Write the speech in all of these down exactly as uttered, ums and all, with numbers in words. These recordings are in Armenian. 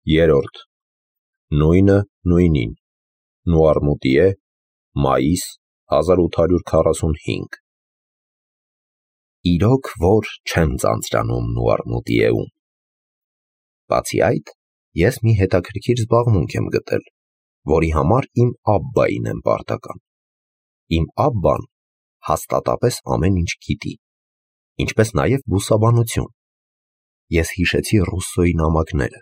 Երորդ. Նույնը նույնին, Նուարմուտիե, մայիս հազար ութ հարյուր քառասունհինգ։ Իրոք որ չեմ ձանձրանում Նուարմուտիեում։ Բացի այդ, ես մի հետաքրքիր զբաղմունք եմ գտել, որի համար իմ աբբային եմ պարտական։ Իմ աբբան հաստատապես ամեն ինչ գիտի, ինչպես նաև բուսաբանություն։ Ես հիշեցի Ռուսսոյի նամակները,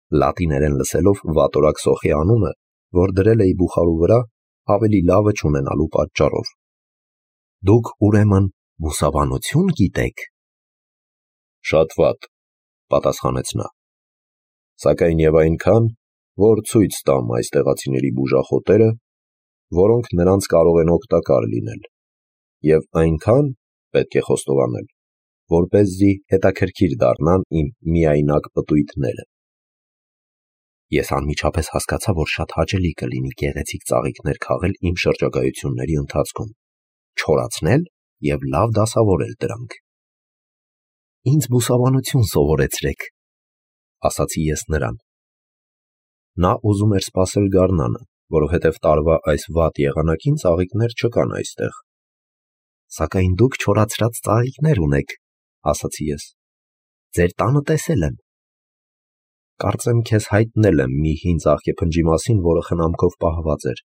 լատիներեն լսելով վատորակ սոխի անունը, որ դրել էի բուխարու վրա, ավելի լավը չունենալու պատճառով։ Դուք ուրեմն բուսաբանություն գիտեք։ Շատ վատ, պատասխանեց նա։ Սակայն եւ այնքան, որ ցույց տամ այս տեղացիների բուժախոտերը, որոնք նրանց կարող են օգտակար լինել, եւ այնքան պետք է խոստովանել, որպեսզի հետաքրքիր դառնան իմ միայնակ պտույտները։ Ես անմիջապես հասկացա, որ շատ հաճելի կլինի գեղեցիկ ծաղիկներ քաղել իմ շրջագայությունների ընթացքում, չորացնել եւ լավ դասավորել դրանք։ Ինձ բուսաբանություն սովորեցրեք, ասացի ես նրան։ Նա ուզում էր սպասել գարնանը, որովհետև տարվա այս վատ եղանակին ծաղիկներ չկան այստեղ։ Սակայն դուք չորացրած ծաղիկներ ունեք, ասացի ես։ Ձեր տանը տեսել եմ։ Կարծեմ քեզ հայտնել եմ մի հին ծաղկեփնջի մասին, որը խնամքով պահված էր։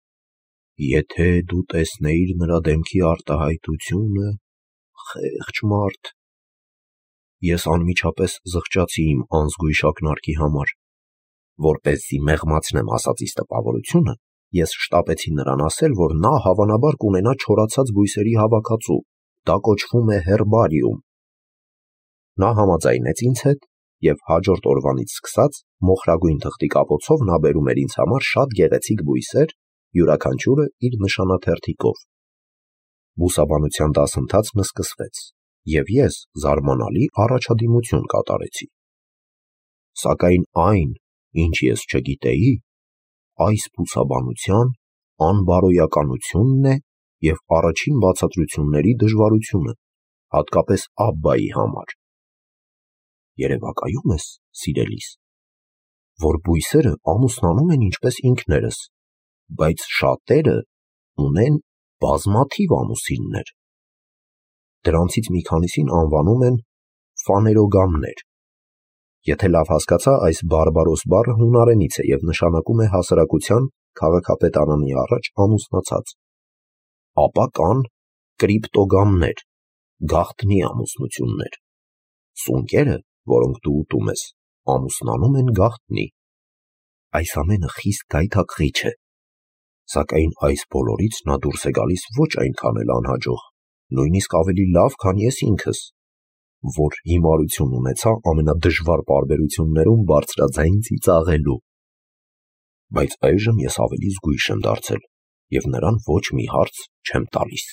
Եթե դու տեսնեիր նրա դեմքի արտահայտությունը, խեղճ մարդ։ Ես անմիջապես զղջացի իմ անզգույշ ակնարկի համար։ Որպեսզի մեղմացնեմ ասածիս տպավորությունը, ես շտապեցի նրան ասել, որ նա հավանաբար կունենա չորացած բույսերի հավաքածու, դա կոչվում է հերբարիում։ Նա համաձայնեց ինձ հետ, և հաջորդ օրվանից սկսած մոխրագույն թղթի կապոցով նա բերում էր ինձ համար շատ գեղեցիկ բույսեր, յուրաքանչյուրը իր նշանաթերթիկով։ Բուսաբանության դասընթացն սկսվեց, և ես զարմանալի առաջադիմություն կատարեցի։ Սակայն այն, ինչ ես չգիտեի, այս բուսաբանության անբարոյականությունն է և առաջին բացատրությունների դժվարությունը, հատկապես աբբայի համար։ Երևակայում ես, սիրելիս, որ բույսերը ամուսնանում են ինչպես ինքներս, բայց շատերը ունեն բազմաթիվ ամուսիններ։ Դրանցից մի քանիսին անվանում են ֆաներոգամներ։ Եթե լավ հասկացա, այս բարբարոս բառը հունարենից է և նշանակում է հասարակության քաղաքապետարանի առաջ ամուսնացած։ Ապա կան կրիպտոգամներ, գաղտնի ամուսնություններ։ Սունկերը, որոնք դու ուտում ես, ամուսնանում են գաղտնի։ Այս ամենը խիստ գայթակղիչ է, սակայն այս բոլորից նա դուրս է գալիս ոչ այնքան էլ անհաջող, նույնիսկ ավելի լավ, քան ես ինքս, որ հիմարություն ունեցա ամենադժվար պարբերություններում բարձրաձայն ծիծաղելու։ Բայց այժմ ես ավելի զգույշ եմ դարձել և նրան ոչ մի հարց չեմ տալիս։